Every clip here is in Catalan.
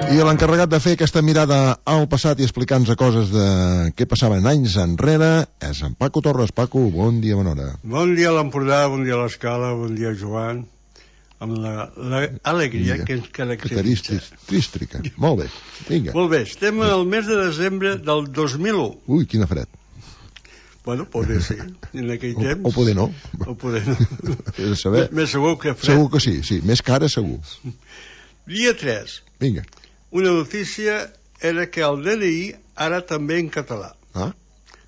I l'encarregat de fer aquesta mirada al passat i explicar-nos coses de què passaven anys enrere és en Paco Torres. Paco, bon dia, bona hora. Bon dia a l'Empordà, bon dia a l'Escala, bon dia Joan, amb l'alegria que ens caracteritza. Trística. Molt bé, vinga. Molt bé, estem al mes de desembre del 2001. Ui, quina fred. Bueno, poder sí, en aquell temps. O poder no. O poder no. Saber. Més segur que fred. Segur que sí, més cara segur. Dia 3. Vinga. Una notícia era que el DNI ara també en català. Ah?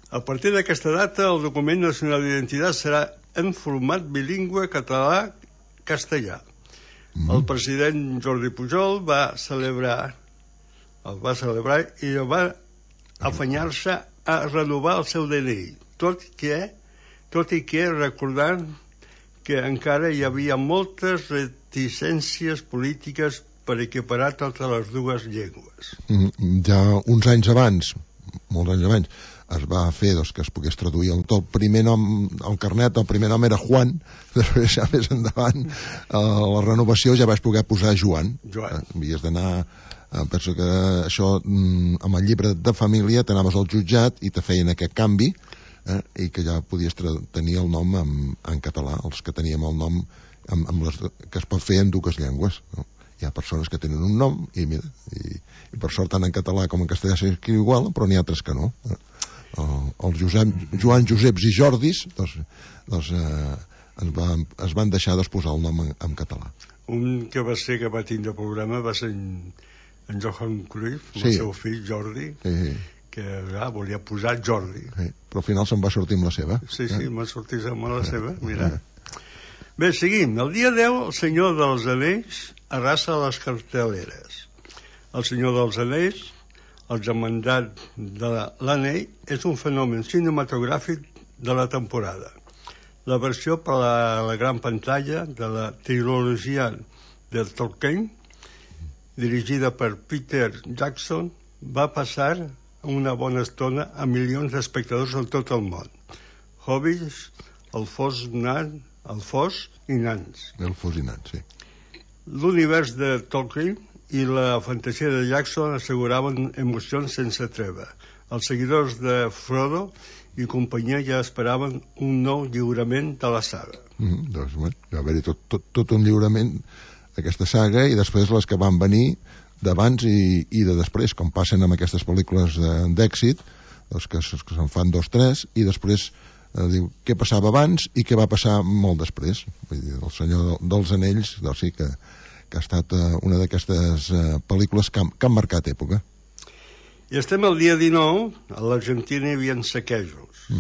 A partir d'aquesta data, el document nacional d'identitat serà en format bilingüe català-castellà. El president Jordi Pujol va celebrar i va afanyar-se a renovar el seu DNI, tot i que recordant que encara hi havia moltes reticències polítiques per equiparar totes les dues llengües. Ja uns anys abans, molts anys abans, es va fer que es pogués traduir el primer nom, el carnet, el primer nom era Juan, després ja més endavant la renovació ja vaig poder posar Joan. Havies d'anar, penso que això amb el llibre de família t'anaves al jutjat i te feien aquest canvi i que ja podies tenir el nom en català, els que teníem el nom que es pot fer en dues llengües, no? Hi ha persones que tenen un nom i per sort tant en català com en castellà s'escriu igual, però n'hi ha altres que no. Els Joan, Joseps i Jordis es van deixar posar el nom en català. Un que va tindre programa va ser en Johan Cruyff, el seu fill Jordi, que volia posar Jordi. Però al final se'n va sortir amb la seva. Sí, m'ha sortit amb la seva, mira. Bé, seguim. El dia 10, el Senyor dels Anells arrasa les carteleres. El Senyor dels Anells, el germandat de l'Anell, és un fenomen cinematogràfic de la temporada. La versió per a la gran pantalla de la trilogia de Tolkien, dirigida per Peter Jackson, va passar una bona estona a milions d'espectadors en tot el món. Hobbits, elfos i nans. Elfos i nans, sí. L'univers de Tolkien i la fantasia de Jackson asseguraven emocions sense treva. Els seguidors de Frodo i companyia ja esperaven un nou lliurament de la saga. Doncs va haver-hi tot un lliurament d'aquesta saga i després les que van venir d'abans i de després, com passen amb aquestes pel·lícules d'èxit, que se'n fan 2, 3 i després diu què passava abans i què va passar molt després. Vull dir, el Senyor dels Anells sí que ha estat una d'aquestes pel·lícules que han marcat època. I estem al dia 19, a l'Argentina hi havia saquejos.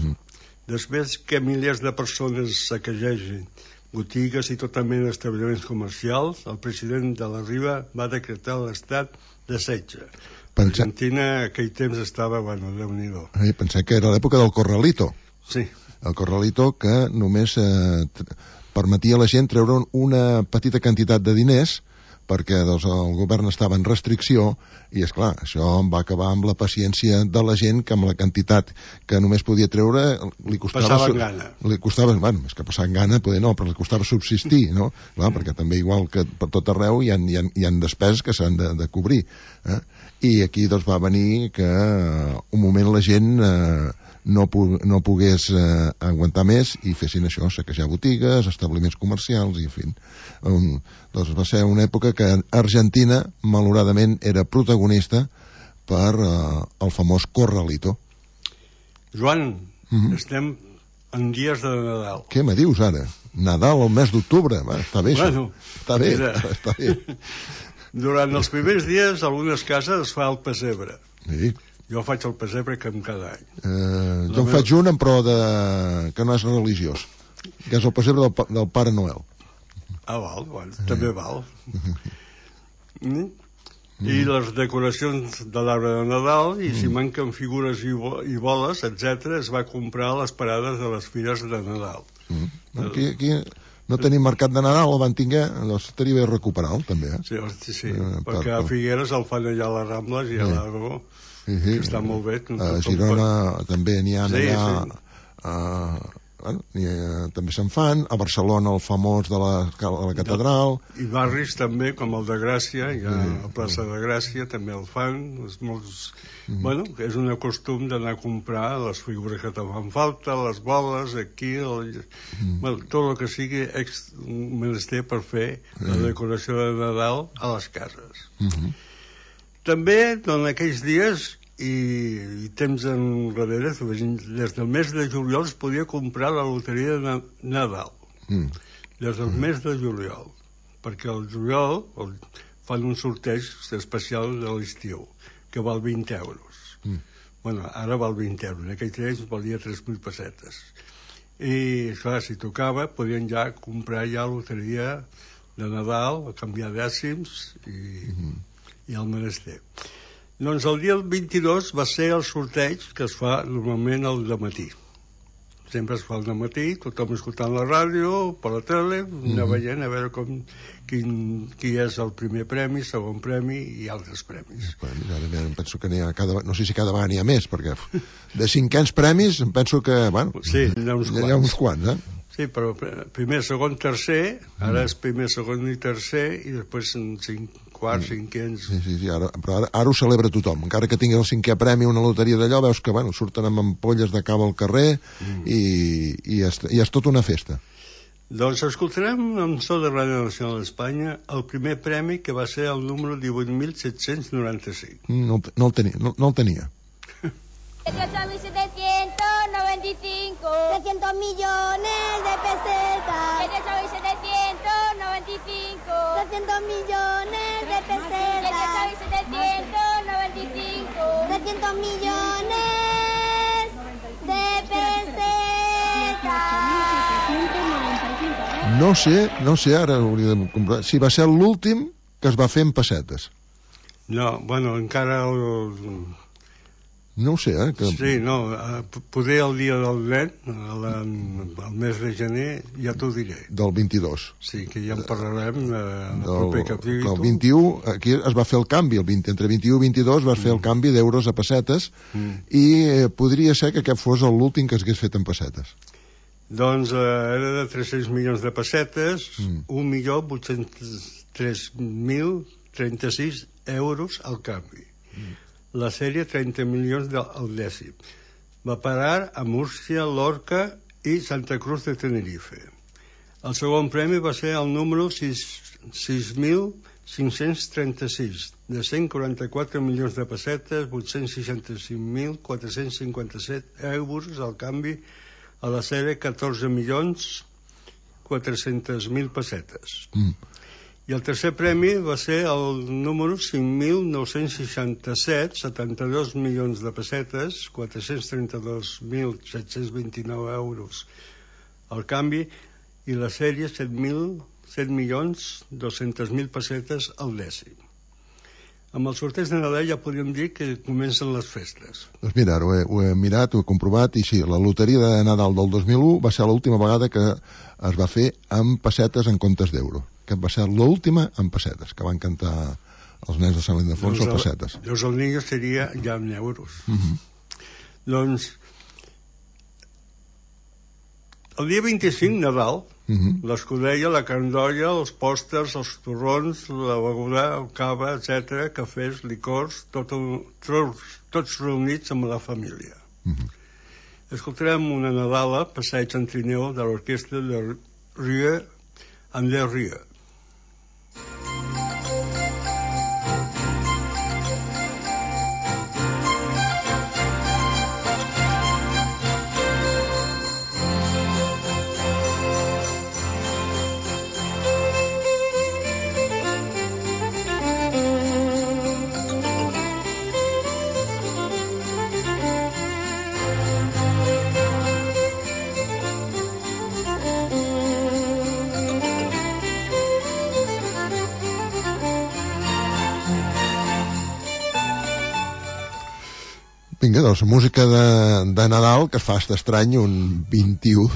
Després que milers de persones saquegegin botigues i tota mena d'establiments comercials, el president de la Riba va decretar l'estat de setge. Argentina aquell temps estava, Déu-n'hi-do. Pensé que era l'època del Corralito. Sí. El Corralito que només permetia a la gent treure una petita quantitat de diners perquè el govern estava en restricció i, esclar, això va acabar amb la paciència de la gent que amb la quantitat que només podia treure li costava... Passaven gana. Li costava, més que passar gana, poder no, però li costava subsistir, no? Clar, perquè també igual que per tot arreu hi ha despeses que s'han de cobrir. I aquí doncs va venir que un moment la gent... no pogués aguantar més i fessin això, saquejar botigues, establiments comercials i en fi. Doncs va ser una època que Argentina malauradament era protagonista per el famós Corralito. Joan, estem en dies de Nadal. Què me dius ara? Nadal al mes d'octubre? Està bé això. Està bé, està bé. Durant els primers dies a algunes cases es fa el pessebre. Sí. Jo faig el pessebre com cada any. Jo en faig un, però que no és religiós, que és el pessebre del Pare Noel. Val, també val. I les decoracions de l'arbre de Nadal, i si manquen figures i boles, etc., es va comprar a les parades de les fires de Nadal. Aquí no tenim mercat de Nadal, el van tinguer, doncs estaria bé recuperar-lo, també. Sí, perquè a Figueres el fan allà a les Rambles i a l'Aragó. Que està molt bé. A Girona també n'hi ha allà bueno, també se'n fan. A Barcelona el famós de la catedral. I barris també, com el de Gràcia, hi ha la plaça de Gràcia, també el fan. Bueno, és un costum d'anar a comprar les figures que te fan falta, les boles, aquí, bueno, tot el que sigui menester per fer la decoració de Nadal a les cases. També, en aquells dies i temps enrere, des del mes de juliol es podia comprar la loteria de Nadal. Des del mes de juliol. Perquè al juliol fan un sorteig especial de l'estiu, que val 20 euros. Bueno, ara val 20 euros. En aquell temps valia 3.000 pessetes. I, clar, si tocava, podien ja comprar ja loteria de Nadal, a canviar dècims i el menester. Doncs el dia 22 va ser el sorteig que es fa normalment al dematí. Sempre es fa al dematí, tothom escoltant la ràdio, per la tele, anar veient a veure qui és el primer premi, segon premi i altres premis. Penso que n'hi ha no sé si cada vegada n'hi ha més, perquè de cinquens premis em penso que, bueno, sí, n'hi ha uns quants, Sí, però primer, segon, tercer, ara és primer, segon i tercer, i després quarts, cinquens... Sí, però ara ho celebra tothom. Encara que tingui el cinquè premi una loteria d'allò, veus que, bueno, surten amb ampolles de cava al carrer i és tota una festa. Doncs escoltarem amb so de Ràdio Nacional d'Espanya el primer premi, que va ser el número 18.795. No el tenia. 18.795 300 millones de pesetas 18.795 300 millones de pesetas 18.795 300 millones de pesetas. No sé, ara hauria de comprar. Si va ser l'últim que es va fer en pessetes. No, bueno, encara No ho sé, Sí, no, poder el dia del nen, el mes de gener, ja t'ho diré. Del 22. Sí, que ja en parlarem en el proper capítol. El 21, aquí es va fer el canvi, entre 21 i 22 vas fer el canvi d'euros a pessetes i podria ser que aquest fos l'últim que s'hagués fet en pessetes. Doncs era de 300 milions de pessetes, 1.803.036 euros al canvi. La sèrie 30 milions al dècim. Va parar a Múrcia, Lorca i Santa Cruz de Tenerife. El segon premi va ser el número 6.536, de 144 milions de pessetes, 865.457 euros al canvi, a la sèrie 14.400.000 pessetes. I el tercer premi va ser el número 5.967, 72 milions de pessetes, 432.729 euros al canvi, i la sèrie 7.200.000 pessetes al dècim. Amb el sorteig de Nadal ja podríem dir que comencen les festes. Doncs mira, ho he mirat, ho he comprovat, i sí, la loteria de Nadal del 2001 va ser l'última vegada que es va fer amb pessetes en comptes d'euro. Que va ser l'última en pessetes, que van cantar els nens de Sant Ildefons o pessetes. Llavors el niño seria ja en euros. Doncs el dia 25, Nadal, l'escudella, la candolla, els pòsters, els torrons, la beguda, el cava, etc., cafès, licors, tots reunits amb la família. Escoltarem una Nadala, Passeig en trineu, de l'orquestra de Rieu en les Rieu. Vinga, doncs, música de Nadal, que es fa estrany un 21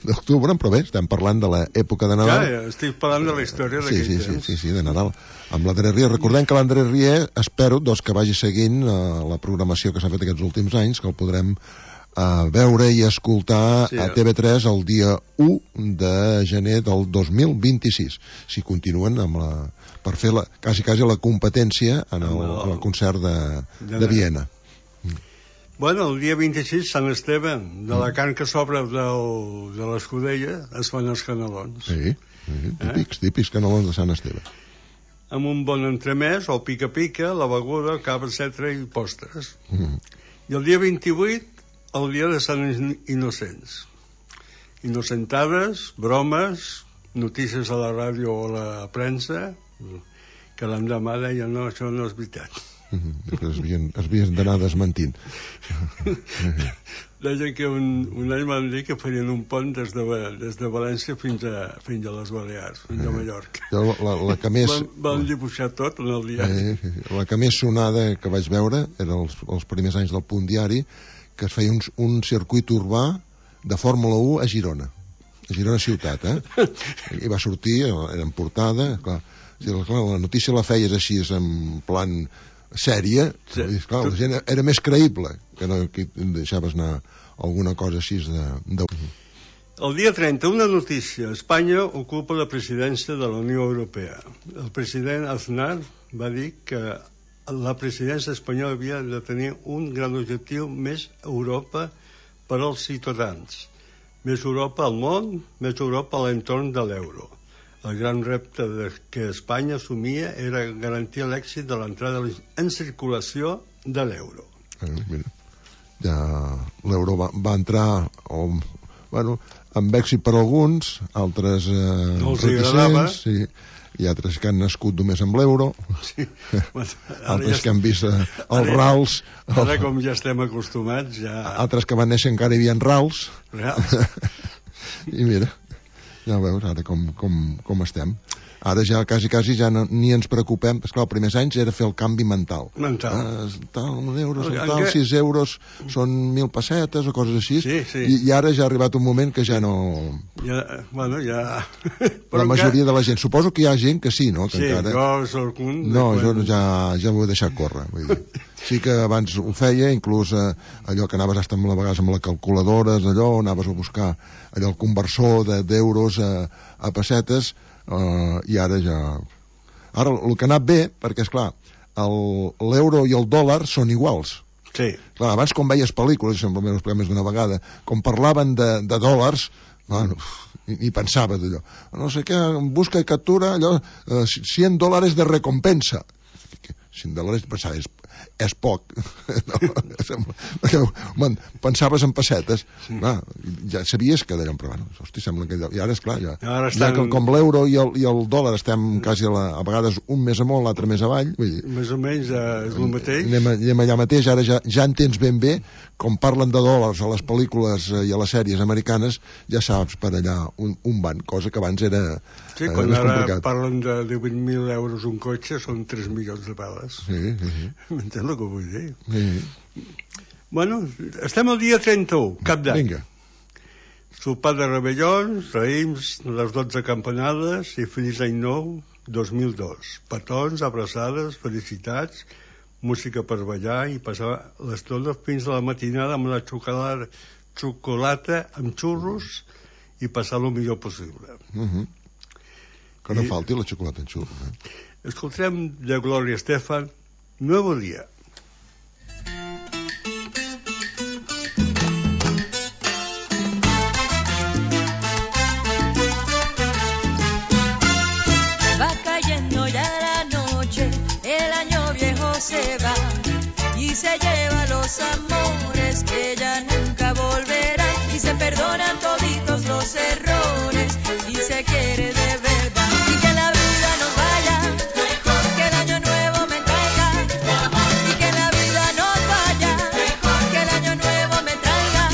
d'octubre, però bé, estem parlant de l'època de Nadal. Ja, estic parlant de la història d'aquell temps. Sí, de Nadal. Amb l'Andrés Rieu. Recordem que l'Andrés Rieu, espero que vagi seguint la programació que s'ha fet aquests últims anys, que el podrem veure i escoltar Sí, a TV3 el dia 1 de gener del 2026, si continuen amb per fer quasi la competència en el concert de Viena. Bueno, el dia 26, Sant Esteve, de la carn que sobra de l'escudella, es fan els canelons. Sí, típics canelons de Sant Esteve. Amb un bon entremès, o pica-pica, la beguda, cava, etc. i postres. I el dia 28, el dia de Sant Innocents. Innocentades, bromes, notícies a la ràdio o a la premsa, que l'endemà deien, no, això no és veritat. Es havien d'anar desmentint. Deien que un any van dir que farien un pont des de València fins a les Balears, fins a Mallorca. La que més... Van dibuixar tot en el diari. La que més sonada que vaig veure eren els primers anys del Punt Diari, que es feia un circuit urbà de Fórmula 1 a Girona ciutat, i va sortir, era en portada, clar, la notícia la feies així en plan sèrie, sí. Clar, la gent era més creïble que no que deixaves anar alguna cosa així de... El dia 30, una notícia. Espanya ocupa la presidència de la Unió Europea. El president Aznar va dir que la presidència espanyola havia de tenir un gran objectiu: més Europa per als ciutadans, més Europa al món, més Europa a l'entorn de l'euro. El gran repte que Espanya assumia era garantir l'èxit de l'entrada en circulació de l'euro. Mira, ja l'euro va entrar amb èxit per alguns, altres reticents, sí, i altres que han nascut només amb l'euro, sí. Altres que han vist els rals. Ara, com ja estem acostumats, ja... Altres que van néixer encara hi havia rals. I mira, ja veus ara com estem. Ara ja quasi ja ni ens preocupem. Esclar, els primers anys era fer el canvi mental. Tal, 1 euro són tal, 6 euros són 1.000 pessetes o coses així. Sí. I ara ja ha arribat un moment que ja no... Ja... La majoria de la gent. Suposo que hi ha gent que sí, no? Que sí, encara... jo soc un... No, jo ja m'ho he deixat córrer. Vull dir. Sí que abans ho feia, inclús allò que anaves a vegades amb la calculadora, allò, anaves a buscar allò, el conversor d'euros a pessetes, i ara ja... Ara, el que ha anat bé, perquè, esclar, l'euro i el dòlar són iguals. Sí. Clar, abans, quan veies pel·lícules, sempre m'ho he explicat més d'una vegada, com parlaven de dòlars, bueno, ni pensava d'allò. No sé què, busca i captura, allò, $100 de recompensa. $100, pensava, és poc. Pensaves en pessetes. Sí. Ja sabies que d'allò, però bueno, hosti, sembla que... I ara, esclar, ja com l'euro i el dòlar estem quasi a vegades un més amunt, l'altre més avall. Vull dir, més o menys és el mateix. Anem allà mateix, ara ja entens ben bé, com parlen de dòlars a les pel·lícules i a les sèries americanes, ja saps per allà un van, cosa que abans era... Sí, quan ara parlen de 18.000 euros un cotxe, són 3 milions de peles. Sí. M'entens el que vull dir? Sí. Bueno, estem al dia 31, cap d'any. Vinga. Sopar de rebellons, raïms, les 12 campanades i feliç any nou 2002. Petons, abraçades, felicitats, música per ballar i passar l'estona fins a la matinada amb la xocolata amb xurros i passar el millor possible. Que no falti la xocolata amb xurros. Escoltem de Gloria Estefan, Nuevo Día. Va cayendo ya la noche, el año viejo se va y se lleva los amores que ya nunca volverán y se perdonan toditos los errores y se quiere de verdad y que la vida nos vaya mejor, que el año nuevo me traiga y que la vida nos vaya mejor, que el año nuevo me traiga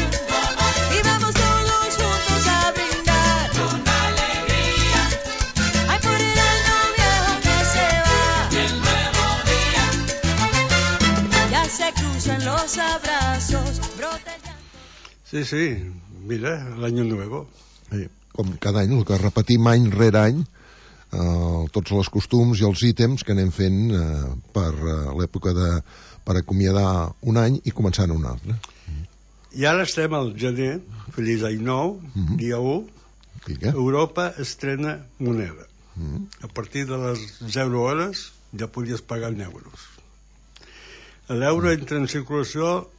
y vamos todos juntos a brindar con alegría, ay por el año viejo que se va, el nuevo día, ya se cruzan los abrazos, broten ya. Sí, mira, l'any nuevo. Sí. Com cada any, el que repetim any rere any, tots els costums i els ítems que anem fent per l'època per acomiadar un any i començar un altre. I ara estem al gener, feliç any nou, dia 1, Vinga. Europa estrena moneda. A partir de les 0 hores ja podies pagar en euros. L'euro entra en circulació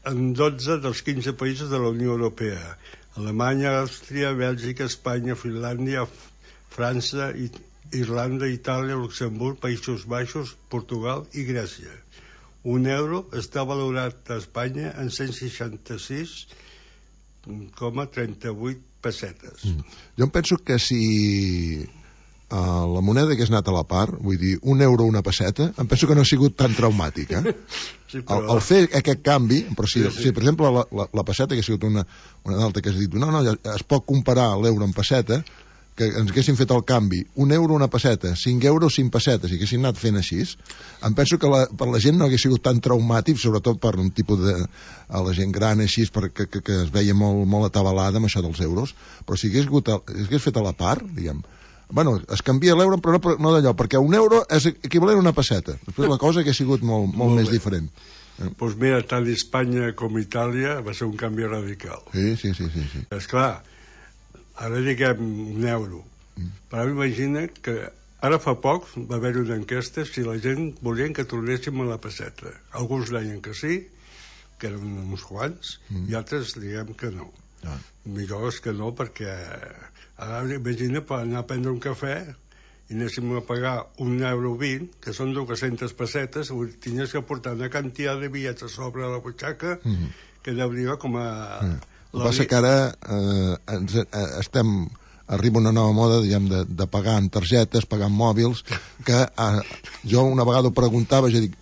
en 12 dels 15 països de la Unió Europea. Alemanya, Àustria, Bèlgica, Espanya, Finlàndia, França, Irlanda, Itàlia, Luxemburg, Països Baixos, Portugal i Grècia. Un euro està valorat a Espanya en 166,38 pessetes. Jo em penso que si la moneda hagués anat a la part, vull dir, un euro una pesseta, em penso que no ha sigut tan traumàtic, Sí, però... el fer aquest canvi, però si per exemple la pesseta hagués sigut una d'altra que has dit, no, es pot comparar l'euro en pesseta, que ens haguessin fet el canvi, un euro una pesseta, 5 euros 5 pessetes, i haguessin anat fent així, em penso que per la gent no hagués sigut tan traumàtic, sobretot per un tipus a la gent gran així, perquè que es veia molt atabalada amb això dels euros, però si hagués fet a la part, diguem, bueno, es canvia l'euro, però no d'allò, perquè un euro és equivalent a una pesseta. Després la cosa hagués sigut molt més diferent. Doncs mira, tant Espanya com Itàlia va ser un canvi radical. Sí. Esclar, ara diguem un euro, però imagina que ara fa poc va haver-hi una enquesta si la gent volien que tornéssim a la pesseta. Alguns deien que sí, que eren uns quants, i altres diguem que no. Millor és que no, perquè ara imagina per anar a prendre un cafè i anéssim a pagar €1,20, que són 200 pessetes, tenies que portar una quantitat de bitllets a sobre la butxaca que deuria com a... El que passa que ara arriba una nova moda, diguem, de pagar en targetes, pagar en mòbils, que jo una vegada ho preguntava, jo dic,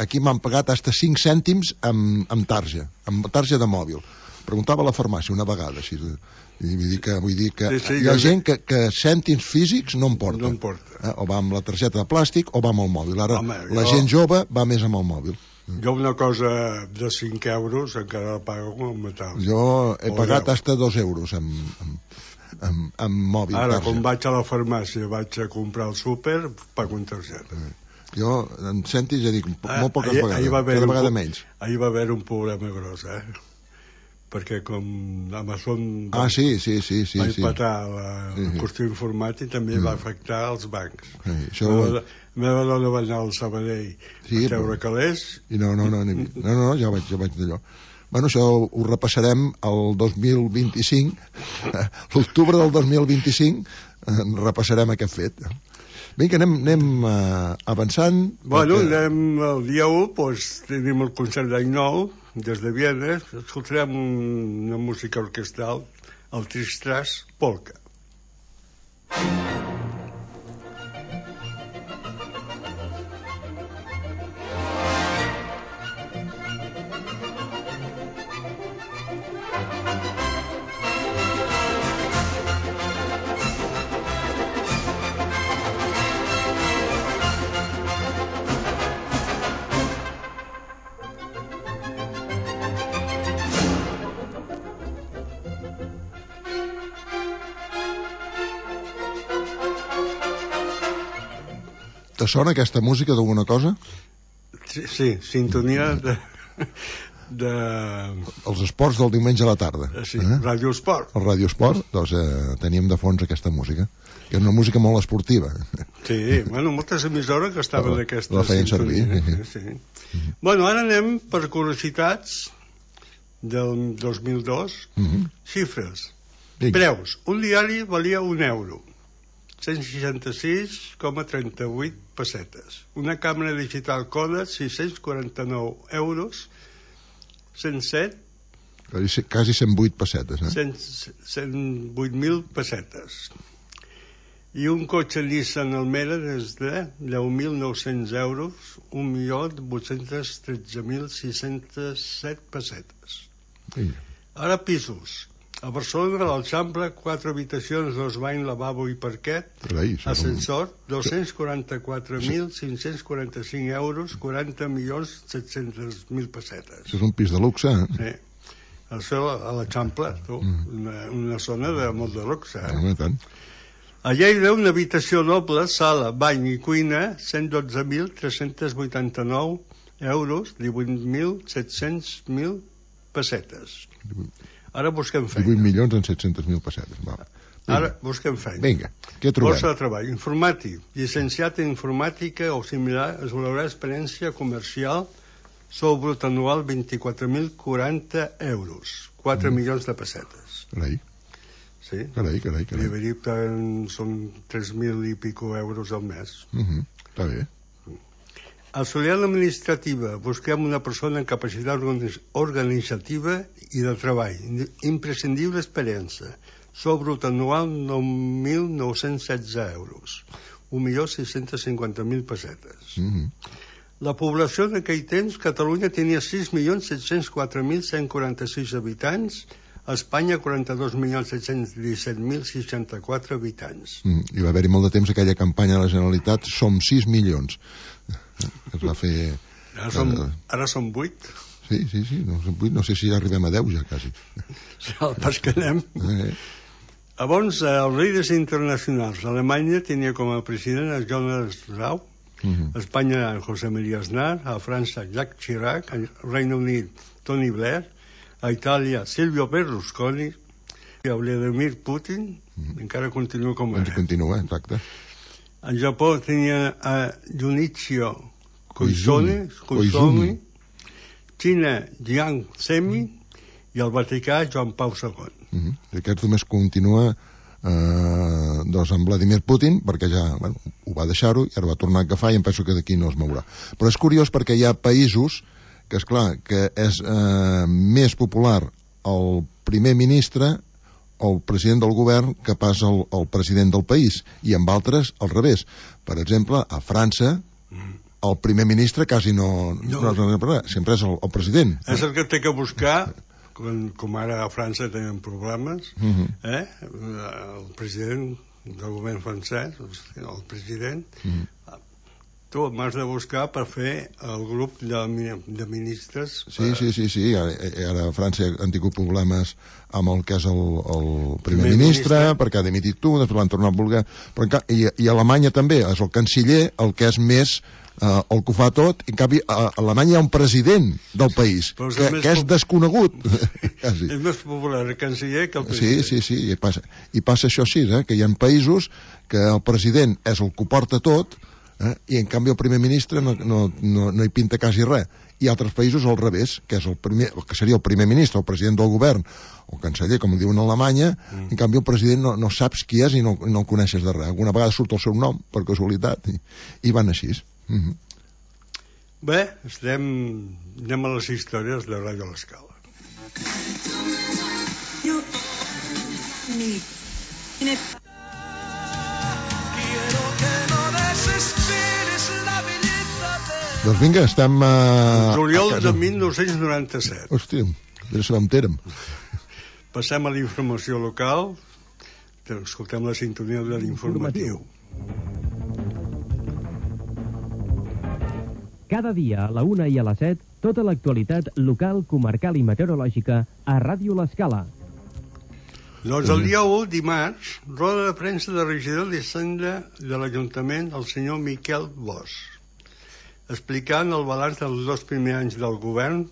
aquí m'han pagat hasta 5 cèntims amb tarja de mòbil. Preguntava a la farmàcia una vegada, així, i vull dir que hi ha gent que cèntims físics no en porta. O va amb la targeta de plàstic o va amb el mòbil. Ara la gent jove va més amb el mòbil. Jo una cosa de 5 euros encara la pago com a metal. Jo he pagat hasta 2 euros amb mòbil. Ara, quan vaig a la farmàcia, vaig a comprar el súper, pago en targeta. Jo, en cèntims, ja dic, molt poques vegades, cada vegada menys. Ahir va haver un problema gros, perquè com Amazon va empatar la qüestió informàtica, també va afectar els bancs. La meva dona va anar al Sabadell a treure calés. No, ja vaig d'allò. Bueno, això ho repassarem el 2025, l'octubre del 2025 repassarem aquest fet. Vinga, anem avançant. Bueno, anem el dia 1, doncs tenim el concert d'any nou, des de Viena, escoltarem una música orquestral, el Tristras Polka. Te sona aquesta música d'alguna cosa? Sí, sintonia de... Els esports del diumenge a la tarda. Sí, Ràdio Esport. El Ràdio Esport, doncs teníem de fons aquesta música, que és una música molt esportiva. Sí, bueno, moltes emissores que estaven d'aquesta la feien servir. Sí. Bueno, ara anem per curiositats del 2002. Xifres. Preus. Un diari valia €1. 166,38 pessetes. Una càmera digital Kodak, €649, 107... Quasi 108 pessetes, 108.000 pessetes. I un cotxe Nissan Almera des de €10.900, 1.813.607 pessetes. Ara pisos. A Barcelona, a l'Eixample, 4 habitacions, 2 banys, lavabo i parquet, ascensor, €244.545, 40.700.000 pessetes. Això és un pis de luxe, Sí. Això a l'Eixample, una zona de molt de luxe. A Lleida, una habitació doble, sala, bany i cuina, €112.389, 18.700.000 pessetes. Ara busquem 18 feina. milions en 700.000 pessetes. Va. Ara busquem feina. Vinga, què trobem? Borsa de treball. Informàtic. Llicenciat en informàtica o similar, es valorarà experiència comercial sou brut anual 24.040 euros. 4 milions de pessetes. Carai, Sí? carai. I verí que són 3.000 i pico euros al mes. Està bé. Auxiliar administrativa. Busquem una persona amb capacitat organitzativa i de treball. Imprescindible experiència. Sou brut anual 9.916 euros. 1.650.000 pessetes. La població d'aquell temps, Catalunya tenia 6.704.146 habitants, a Espanya 42.717.064 habitants. I va haver-hi molt de temps aquella campanya de la Generalitat Som 6 milions. Es va fer... Ara són 8. Sí, no sé si ja arribem a 10 ja, quasi. El pas que anem. Llavors, els líders internacionals. Alemanya tenia com a president a Jonas Rau, a Espanya José María Aznar, a França Jacques Chirac, al Regne Unit Tony Blair, a Itàlia Silvio Berlusconi, i a Vladimir Putin, encara continua com ara. Continua, exacte. Al Japó tenia a Junichiro Koizumi, Xina Jiang Zemin i al Vaticà Joan Pau II. Aquest només continua amb Vladimir Putin, perquè ja ho va deixar-ho i ara va tornar a agafar i em penso que d'aquí no es mourà. Però és curiós perquè hi ha països que, esclar, que és més popular el primer ministre o el president del govern que pas el president del país, i amb altres al revés. Per exemple, a França el primer ministre quasi no sempre és el president. És el que té que buscar, com ara a França tenen problemes, el president del govern francès, el president, tu m'has de buscar per fer el grup de ministres. Sí. Ara a França han tingut problemes amb el que és el primer ministre, perquè ha dimitit tu, després l'han tornat a voler. I a Alemanya també és el canciller el que és més el que ho fa tot. En canvi a Alemanya hi ha un president del país que és desconegut. És més popular el canciller que el president. Sí, i passa això així, que hi ha països que el president és el que ho porta tot, i en canvi el primer ministre no hi pinta quasi res. I altres països al revés, que és que seria el primer ministre, el president del govern o el canceller, com ho diuen a Alemanya. En canvi el president no saps qui és i no el coneixes de res. Alguna vegada surt el seu nom per casualitat i van així. Bé, anem a les històries de Ràdio L'Escala. Doncs vinga, estem juliol de 1997. Hòstia, ja sabem on érem. Passem a la informació local. Escoltem la sintonia de l'informatiu. Cada dia a la 1 i a les 7, tota l'actualitat local, comarcal i meteorològica a Ràdio L'Escala. Doncs el dia 1, dimarts, roda de premsa de regidor d'Hisenda de l'Ajuntament, el senyor Miquel Bosch, explicant el balanç dels 2 primers anys del govern,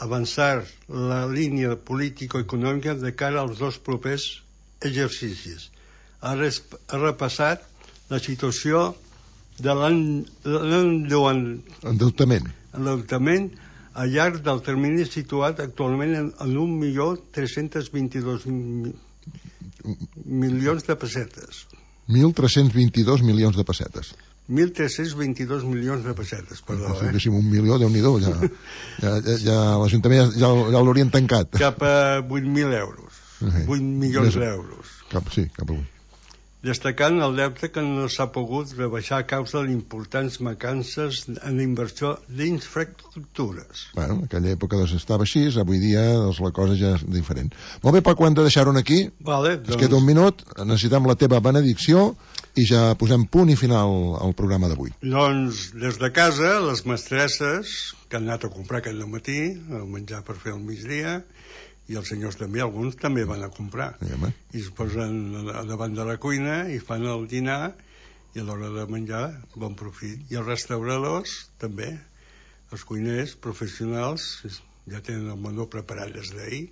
avançar la línia político-econòmica de cara als 2 propers exercicis. Ha repassat la situació de l'endeutament al llarg del termini situat actualment en 1.322.000 milions de pessetes. 1.322 milions de pessetes. 1.322 milions de pessetes, perdó. Si diguéssim 1 milió, Déu-n'hi-do, ja l'Ajuntament ja l'haurien tancat. Cap a 8.000 euros. 8 milions d'euros. Sí, cap a 8. Destacant el deute que no s'ha pogut rebaixar a causa d'importants mancances en inversió d'infraestructures. Bueno, en aquella època estava així, avui dia la cosa ja és diferent. Molt bé, Paco, hem de deixar-ho aquí. Vale, ens queda un minut, necessitem la teva benedicció i ja posem punt i final al programa d'avui. Doncs, des de casa, les mestresses que han anat a comprar aquest matí, el menjar per fer al migdia, i els senyors també, alguns també van a comprar. I es posen davant de la cuina i fan el dinar, i a l'hora de menjar, bon profit. I els restauradors també, els cuiners professionals, ja tenen el menú preparat des d'ahir,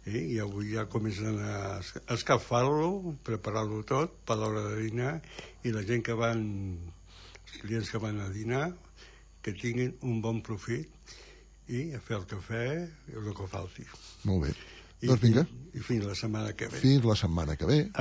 i avui ja comencen a escalfar-lo, preparar-lo tot per l'hora de dinar, i la gent que van, els clients que van a dinar, que tinguin un bon profit i a fer el cafè i el que falti. Molt bé. Doncs vinga. I fins la setmana que ve. Fins la setmana que ve.